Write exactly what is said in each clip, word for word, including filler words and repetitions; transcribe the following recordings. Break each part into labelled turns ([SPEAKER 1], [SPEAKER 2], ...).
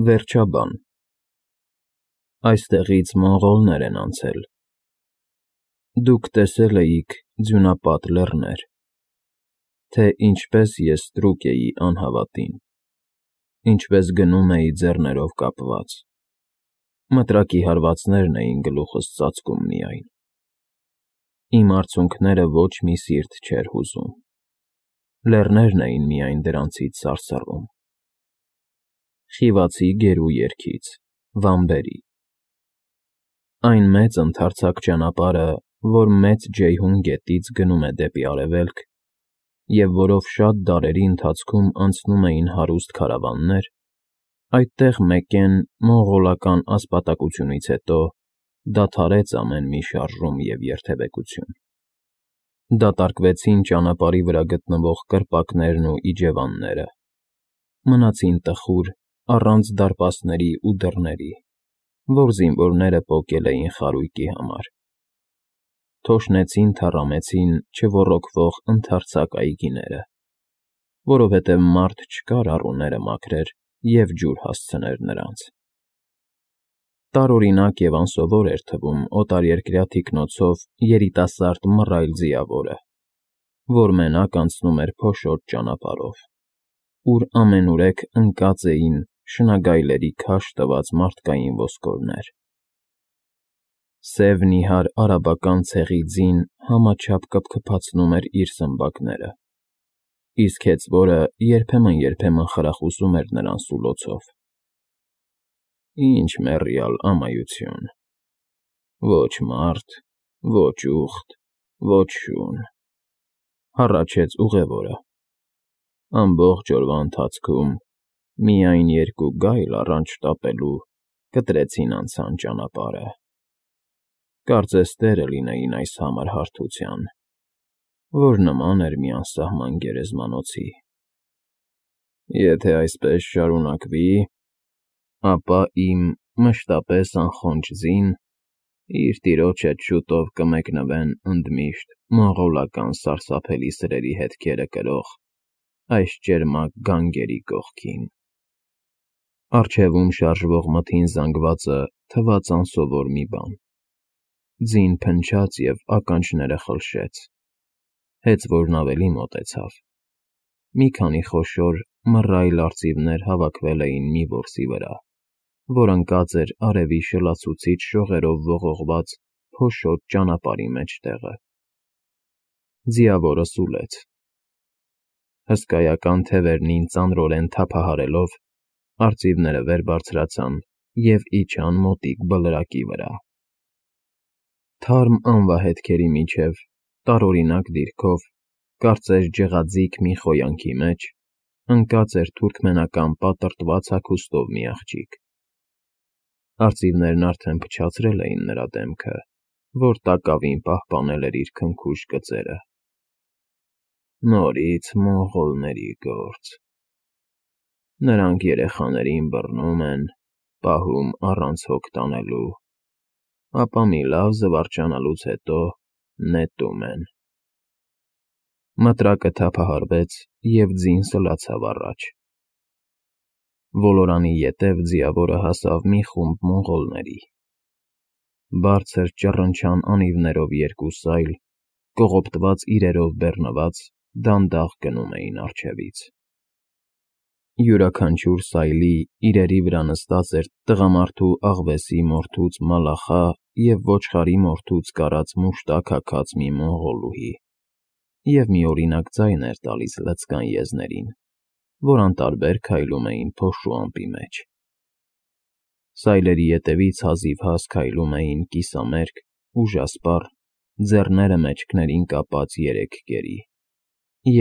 [SPEAKER 1] Վերջաբան Այստեղից մոնղոլներ են անցել, դուք տեսել էիք ձյունապատ լեռներ, թե ինչպես ես ստրուկ էի անհավատին, ինչպես գնում էի ձեռներով կապված, մտրակի հարվածներն էին գլուխս ծածկում միայն, իմ արցունքները ոչ մի սիրտ չէր հուզում, լեռներն էին միայն դրանցից սարսռում, խիվացի գերու երգից, վամբերի, այն մեծ ընդարձակ ճանապարհը, որ Մեծ Ջեյհուն գետից գնում է դեպի արևելք, և որով շատ դարերի ընթացքում անցնում էին հարուստ քարավաններ, այդտեղ մեկեն մոնղոլական ասպատակությունից հետո դադարեց ամեն մի շարժում և երթևեկություն, դատարկվեցին ճանապարհի վրա գտնվող կրպակներն ու իջևանները, մնացին տխուր, առանց դարպասների ու դռների, որ զինվորները պոկել էին խարույկի համար, թոշնեցին թառամեցին չոռոգվող ընդարձակ այգիները, որովհետև մարդ չկար առուները մաքրեր և ջուր հասցներ նրանց, տարօրինակ և անսովոր էր թվում օտարերկրյա թիկնոցով երիտասարդ մռայլ ձիավորը, որ մենակ անցնում էր փոշոտ ճանապարհով, ուր ամենուրեք ընկած էին շնագայլերի քաշ տված մարդկային ոսկորներ, սև նիհար արաբական ցեղի ձին համաչափ կփքփացնում էր իր սմբակները, իսկ հեծվորը երբեմն֊երբեմն խրախուսում էր նրան սուլոցով. Ինչ մեռյալ ամայություն, ոչ մարդ, ոչ ուղտ, ոչ շուն, հառաչեց ուղևորը, ամբողջ օրվա ընթացքում միայն երկու գայլ առանց շտապելու կտրեցին անցան ճանապարհը, կարծես տերը լինեին այս համր հարթության, որ նման էր մի անսահման գերեզմանոցի, եթե այսպես շարունակվի, ապա իմ մշտապես անխոնջ ձին իր տիրոջ հետ շուտով կմեկնվեն ընդմիշտ մոնղոլական սարսափելի սրերի հետքերը կրող այս ճերմակ գանգերի կողքին, առջևում շարժվող մթին զանգվածը թվաց անսովոր մի բան, ձին փնչաց և ականջները խլշեց, հեծվորն ավելի մոտեցավ, մի քանի խոշոր մռայլ արծիվներ հավաքվել էին մի որսի վրա, որ ընկած էր արևի շլացուցիչ շողերով ողողված փոշոտ ճանապարհի մեջտեղը, ձիավորը սուլեց, հսկայական թևերնին ծանրորեն թափահարելով, արծիվները վեր բարձրացան և իջան մոտիկ բլրակի վրա, թարմ անվահետքերի միջև, տարօրինակ դիրքով, կարծես ջղաձիգ մի խոյանքի մեջ, ընկած էր թուրքմենական պատրտված հագուստով մի աղջիկ, արծիվներն արդեն փչացրել էին նրա դեմքը, որ տակավին պահպանել էր իր քնքուշ կծերը, նորից մոնղոլների գործ, նրանք երեխաներին բռնում են, պահում առանց հոգ տանելու, ապա մի լավ զվարճանալուց հետո նետում են, մտրակը թափահարվեց և ձին սլացավ առաջ, ոլորանի ետև ձիավորը հասավ մի խումբ մոնղոլների, բարձր ճռնչան անիվներով երկու սայլ, կողոպտված իրերով բեռնված, դանդաղ գնում էին առջևից, յուրաքանչյուր սայլի իրերի վրա նստած էր տղամարդու աղվեսի մորթուց մալախա և ոչխարի մորթուց կարած մուշտակ հագած մի մոնղոլուհի և մի օրինակ ձայն էր տալիս լցկան եզներին, որ անտարբեր քայլում էին փոշու ամպի մեջ, սայլերի ետևից հազիվհազ քայլում էին կիսամերկ, ուժասպառ, ձեռները մեջքներին կապած երեք կերի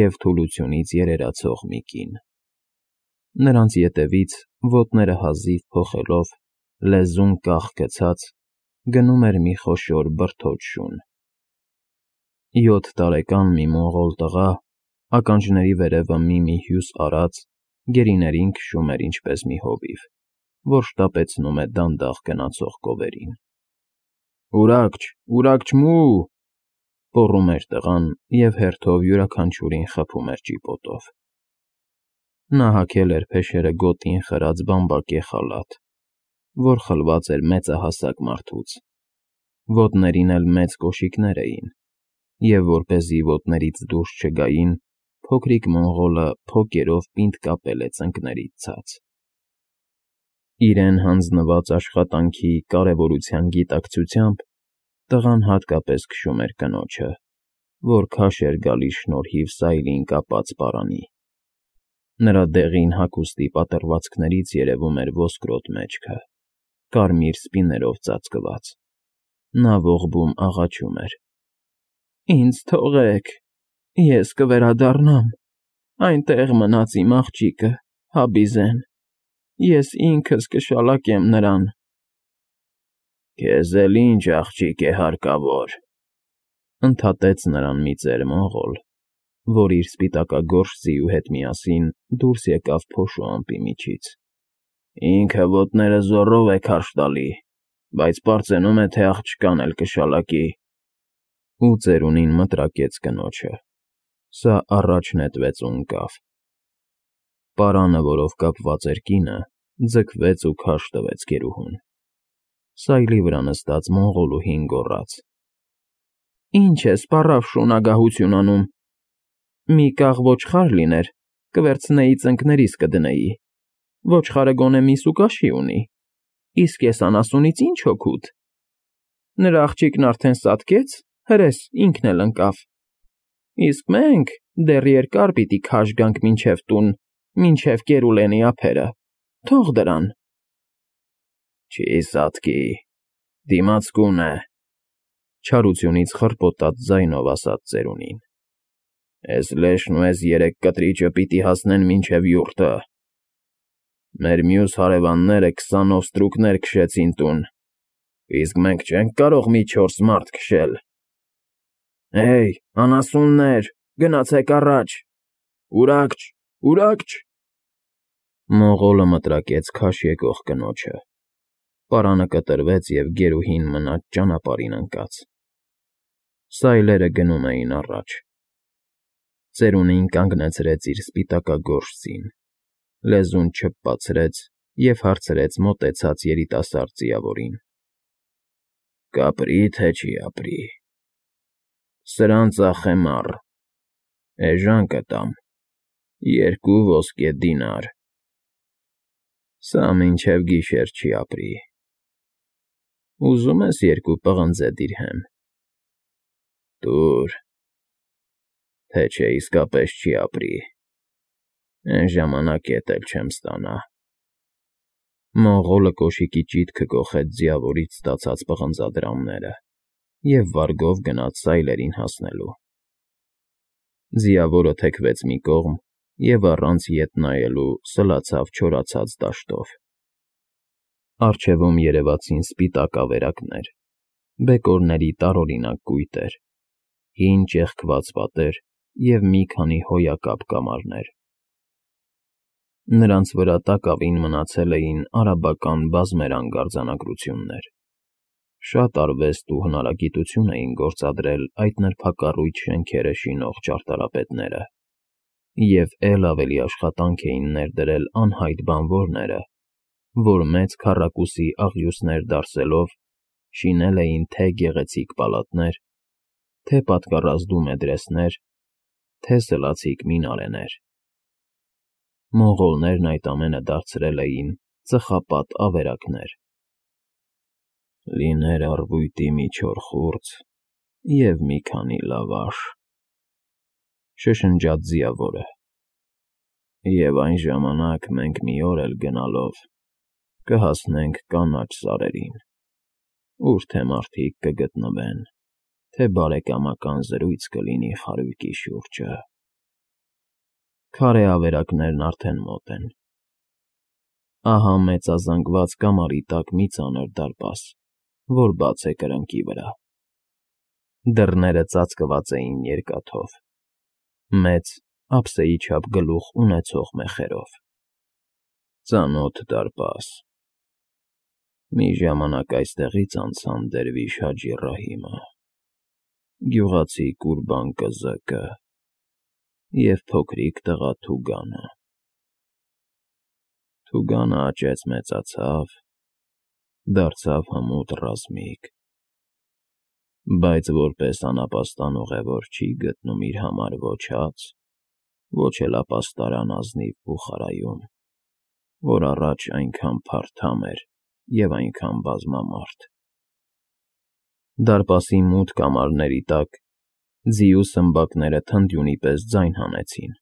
[SPEAKER 1] և թուլությունից երերացող մի կին, նրանց ետևից, ոտները հազիվ փոխելով, լեզուն կախ գցած, գնում էր մի խոշոր բրդոճ շուն, յոթ տարեկան մի մոնղոլ տղա, ականջների վերևը մի-մի հյուս արած, գերիներին քշում էր ինչպես մի հովիվ, որ շտապեցնում է դանդաղ գնացող կովերին, Ուրաքջ, ուրաքջմու, պոռում էր տղան և հերթով յուրաքանչյուրին խփում էր ճիպոտով, Նա հագել էր փեշերը գոտին խրած բամբակե խալաթ, որ խլված էր մեծահասակ մարդուց, ոտներին էլ մեծ կոշիկներ էին, և որպեսզի ոտներից դուրս չգային, փոքրիկ մոնղոլը փոկերով պինդ կապել է ծնկներից ցած։ Իրեն հանձնված աշխատանքի կարևորության գիտակցությամբ տղան հատկապես քշում էր կնոջը, որ քաշ էր գալիս շնորհիվ սայլին կապած պարանի։ Նրա դեղին հագուստի պատռվածքներից երևում էր ոսկրոտ մեջքը, կարմիր սպիներով ծածկված։ Նա ողբում աղաչում էր. «Ինձ թողեք, ես կվերադառնամ, այնտեղ մնաց իմ աղջիկը, Հաբիզեն, ես ինքս կշալակեմ նրան»։ «Քեզ էլ ինչ աղջիկ է հարկավոր», ընդհատեց նրան մի ծեր մոնղոլ, որ իր սպիտակագորշ ձիու հետ միասին դուրս եկավ փոշու ամպի միջից։ «Ինքը ոտները զոռով է քարշ տալի, բայց պարծենում է, թե աղջկան էլ կշալակի»։ Ու ծերունին մտրակեց կնոջը, սա առաջ նետվեց ու ընկավ։ Պարանը, որով կապված էր կինը, ձգվեց ու քարշ տվեց գերուհուն։ Սայլի վրա նստած մոնղոլուհին գոռաց. «Ինչ ես պառավ շունագահություն անում, մի կաղ ոչխար լիներ, կվերցնեի ծնկներիս կդնեի, ոչխարը գոնե միս ու կաշի ունի, իսկ ես անասունից ինչ օգուտ։ Նրա աղջիկն արդեն սատկեց, հրես ինքն էլ ընկավ, իսկ մենք դեռ երկար պիտի քաշ գանք մինչև տուն, մինչև կերուլենի ափերը, թող դրան»։ «Չի սատկի, դիմացկուն է», չարությունից խռպոտած ձայնով ասաց ծերունին։ «Էս լեշն ու էս երեք կտրիճը պիտի հասնեն մինչև յուրտը։ Մեր մյուս հարևանները քսանով ստրուկներ քշեցին տուն, իսկ մենք չենք կարող մի չորս մարդ քշել։ Հեյ, անասուններ, գնացեք առաջ, ուրաքջ, ուրաքջ»։ Մոնղոլը մտրակեց քաշ եկող կնոջը։ Պարանը կտրվեց և գերուհին մնաց ճանապարհին ընկած։ Սայլերը գնում էին առաջ։ Ծերունին կանգնեցրեց իր սպիտակագորշ ձին, լեզուն չփփացրեց և հարցրեց մոտեցած երիտասարդ ձիավորին. «Կապրի, թե չի ապրի»։ «Սրան ծախեմ առ, էժան կտամ, երկու ոսկե դինար»։ «Սա մինչև գիշեր չի ապրի»։ «Ուզում ես երկու պղնձե դիրհեմ»։ «Տուր, թե չէ իսկապես չի ապրի, էն ժամանակ էտ էլ չեմ ստանա»։ Մոնղոլը կոշիկի ճիթքը կոխեց ձիավորից ստացած պղնձադրամները և վարգով գնաց սայլերին հասնելու։ Ձիավորը թեքվեց մի կողմ և առանց ետ նայելու սլացավ չորացած դաշտով։ Առջևում երևացին սպիտակ ավերակներ, բեկորների տարօրինակ կույտեր, հին ճեղքված պատեր և մի քանի հոյակապ կամարներ։ Նրանց վրա տակավին մնացել էին արաբական բազմերանգ արձանագրություններ։ Շատ արվեստ ու հնարագիտություն էին գործադրել այդ նրբակառույց շենքերը շինող ճարտարապետները, և էլ ավելի աշխատանք էին ներդրել անհայտ բանվորները, որ մեծ քառակուսի աղյուսներ դարսելով շինել էին թե գեղեցիկ պալատներ, թե պատկառազդու մեդրեսներ, թե սլացիկ մինարեներ։ Մոնղոլներն այդ ամենը դարձրել էին ծխապատ ավերակներ։ «Լիներ առվույտի մի չոր խուրձ և մի քանի լավաշ», շշնջաց ձիավորը, «և այն ժամանակ մենք մի օր էլ գնալով կհասնենք կանաչ սարերին, ուր թե մարդիկ կգտնվեն, թե բարեկամական զրույց կլինի խարույկի շուրջը։ Քարե ավերակներն արդեն մոտ են։ Ահա մեծազանգված կամարի տակ մի ծանր դարպաս, որ բաց է կրկնակի վրա։ Դռները ծածկված էին երկաթով, մեծ, ափսեի չափ գլուխ ունեցող մեխերով։ Ծանոթ դարպաս։ Մի ժամանակ այստեղից անցան Դերվիշ Հաջի Ռահիմը, գյուղացի Կուրբան Կզկը և փոքրիկ տղա Թուգանը։ Թուգանը աճեց մեծացավ, դարձավ հմուտ ռազմիկ, բայց որպես անապաստան ուղևոր չի գտնում իր համար ոչ հաց, ոչ էլ ապաստարան ազնիվ բուխարայում, որ առաջ այնքան փարթամ էր և այնքան բազմամարդ։ Դարպասի մութ կամարների տակ ձիու սմբակները թնդյունի պես ձայն հանեցին,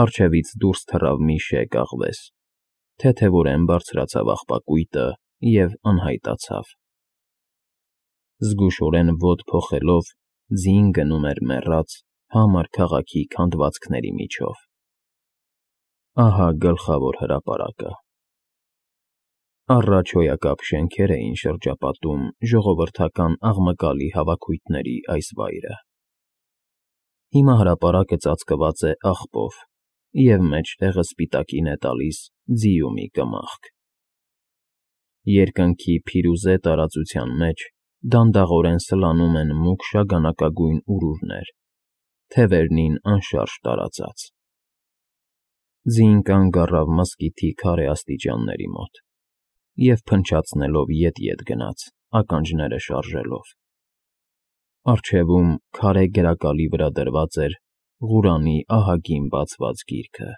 [SPEAKER 1] առջևից դուրս թռավ մի շեկ աղվես, թեթևորեն բարձրացավ աղբակույտը և անհայտացավ։ Զգուշորեն ոտ փոխելով ձին գնում էր մեռած, համր քաղաքի քանդվածքների միջով։ Ահա գլխավոր հրապարակը։ Առաջ հոյակապ շենքեր էին շրջապատում ժողովրդական աղմկալի հավաքույթների այս վայրը։ Հիմա հրապարակը ծածկված է աղբով, և մեջտեղը սպիտակին է տալիս ձիու մի կմախք։ Երկնքի փիրուզե տարածության մեջ դանդաղորեն սլանում են մուգ շագանակագույն ուրուրներ, թևերնին անշարժ տարածած։ Ձին կանգ առավ մզկիթի քարե աստիճանների մոտ և փնչացնելով ետ֊ետ գնաց, ականջները շարժելով։ Առջևում քարե գերակալի վրա դրված էր Ղուրանի ահագին բացված գիրքը,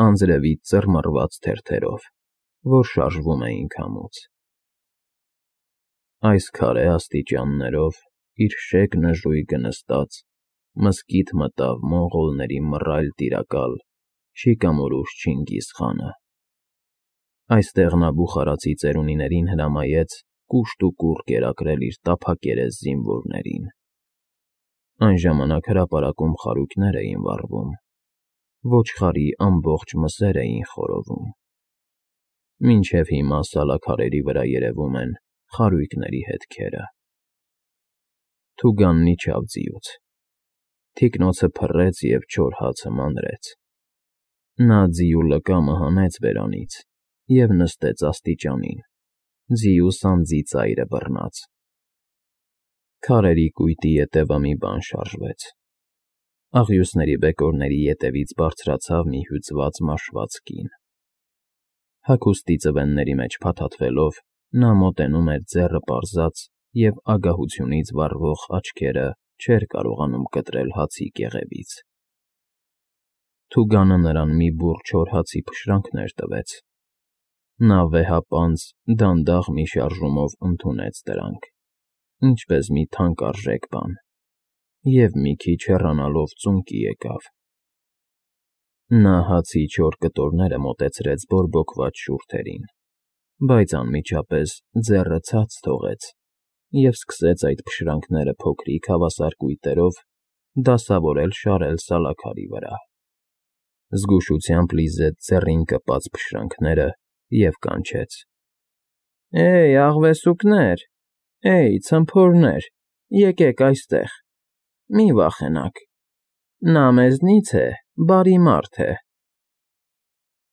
[SPEAKER 1] անձրևից ծռմռված թերթերով, որ շարժվում էին քամուց։ Այս քարե աստիճաններով, իր շեկ նժույգը նստած, մզկիթ մտավ մոնղոլների մռայլ տիրակալ Շիկամորուշ Չինգիզ խանը։ Այստեղ նա բուխարացի ծերունիներին հրամայեց կուշտ ու կուռ կերակրել իր տափակերես զինվորներին։ Այն ժամանակ հրապարակում խարույկներ էին վառվում, ոչխարի ամբողջ մսեր էին խորովում։ Մինչև հիմա սալաքարերի վրա երևում են խարույկների հետքերը։ Թուգանն իջավ ձիուց, թիկնոցը փռեց և չոր հացը մանրեց։ Նա ձիու լկամը հանեց բերանից և նստեց աստիճանին, ձիու սանձի ծայրը բռնած։ Քարերի կույտի ետևը մի բան շարժվեց։ Աղյուսների բեկորների ետևից բարձրացավ մի հյուծված մաշված կին։ Հագուստի ծվենների մեջ փաթաթվելով, նա մոտենում էր ձեռը պարզած և ագահությունից վառվող աչքերը չէր կարողանում կտրել հացի կեղևից։ Թուգանը նրան մի բուռ չոր հացի փշրանքներ տվեց։ Նա վեհապանծ, դանդաղ մի շարժումով ընդունեց դրանք, ինչպես մի թանկարժեք բան, և մի քիչ հեռանալով ծունկի եկավ։ Նա հացի չոր կտորները մոտեցրեց բորբոքված շուրթերին, բայց անմիջապես ձեռը ցած թողեց և սկսեց այդ փշրանքները փոքրիկ հավասար կույտերով դասավորել շարել սալաքարի վրա։ Զգուշությամբ լիզեց ձեռին կպած փշրանքները և կանչեց. «Էյ, աղվեսուկներ, էյ, ցմփորներ, եկեք այստեղ, մի վախենաք, նա մեզնից է, բարի մարդ է»։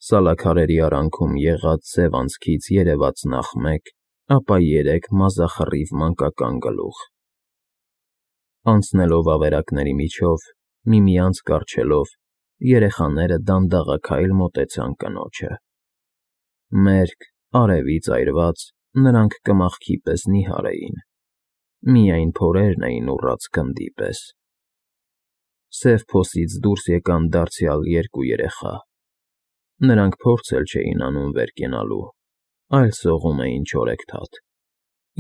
[SPEAKER 1] Սալաքարերի արանքում եղած սև անցքից երևաց նախ մեկ, ապա երեք մազախռիվ մանկական գլուխ։ Անցնելով ավերակների միջով, միմյանց կառչելով, երեխաները դանդաղաքայլ մոտեցան կնոջը։ Մերկ, արևից այրված, նրանք կմախքի պես նիհար էին, միայն փորերն էին ուռած գնդի պես։ Սև փոսից դուրս եկան դարձյալ երկու երեխա։ Նրանք փորձ էլ չէին անում վեր կենալու, այլ սողում էին չորեքթաթ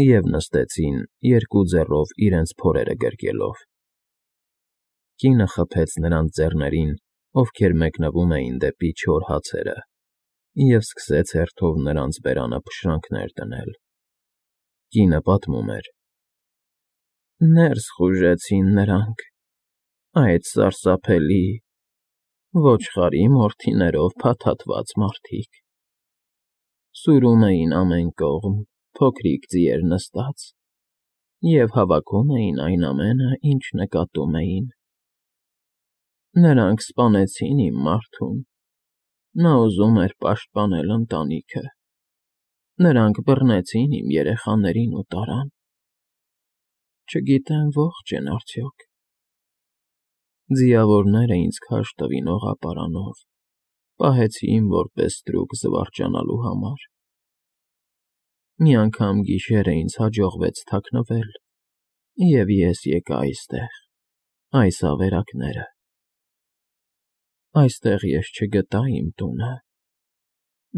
[SPEAKER 1] և նստեցին, երկու ձեռով իրենց փորերը գրկելով։ Կինը խփեց նրանց ձեռներին, ովքեր մեկնվում էին դեպի չոր հացերը, և սկսեց հերթով նրանց բերանը փշրանքներ դնել։ Կինը պատմում էր. «Ներս խուժեցին նրանք, այդ սարսափելի, ոչխարի մորթիներով փաթաթված մարդիկ։ Սուրում էին ամեն կողմ, փոքրիկ ձիեր նստած, և հավաքում էին այն ամենը, ինչ նկատում էին։ Նրանք սպանեցին իմ մարդուն, նա ուզում էր պաշտպանել ընտանիքը, նրանք բռնեցին իմ երեխաներին ու տարան։ Չգիտեմ ողջ են արդյոք։ Ձիավորները ինձ քարշ տվին օղապարանով, պահեցի իմ որպես ստրուկ զվարճանալու համար։ Մի անգամ գիշերը ինձ հաջողվեց թաքնվել, և ես եկա այստեղ, այս ավերակները։ Այստեղ ես չգտա իմ տունը,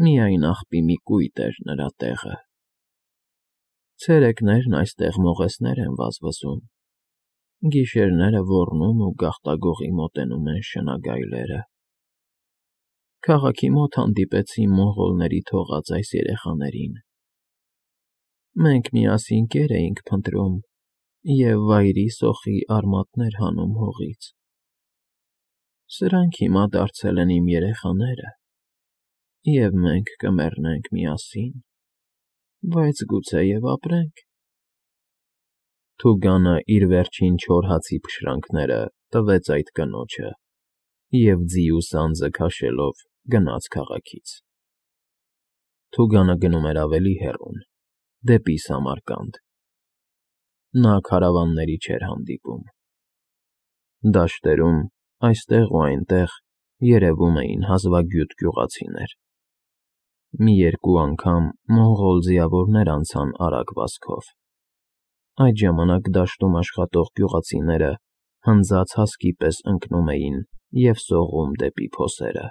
[SPEAKER 1] միայն աղբի մի կույտ էր նրա տեղը։ Ցերեկներն այստեղ մողեսներ են վազվզում, գիշերները ոռնում ու գաղտագողի մոտենում են շնագայլերը։ Քաղաքի մոտ հանդիպեցի մոնղոլների թողած այս երեխաներին։ Մենք միասին կեր էինք փնտրում և վայրի սոխի արմատներ հանում հողից։ Սրանք հիմա դարձել են իմ երեխաները, և մենք կմեռնենք միասին, բայց գուցեև ապրենք։ Թուգանը իր վերջին չոր հացի փշրանքները տվեց այդ կնոջը և ձի ու սանձը քաշելով գնաց քաղաքից։ Թուգանը գնում էր ավելի հեռուն, դեպի Սամարկանդ։ Նա քարավանների չէր հանդիպում։ Դաշտերում այստեղ ու այնտեղ երևում էին հազվագյուտ գյուղացիներ։ Մի երկու անգամ մոնղոլ ձիավորներ անցան արագ վազքով։ Այդ ժամանակ դաշտում աշխատող գյուղացիները հնձած հասկի պես ընկնում էին և սողում դեպի փոսերը։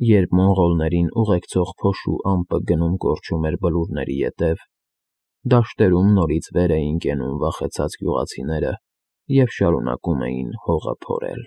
[SPEAKER 1] Երբ մոնղոլներին ուղեկցող փոշու ամպը գնում֊կորչում էր բլուրների ետև, դաշտերում նորից վեր էին կենում վախեցած գյուղացիները և շարունակում էին հողը փորել։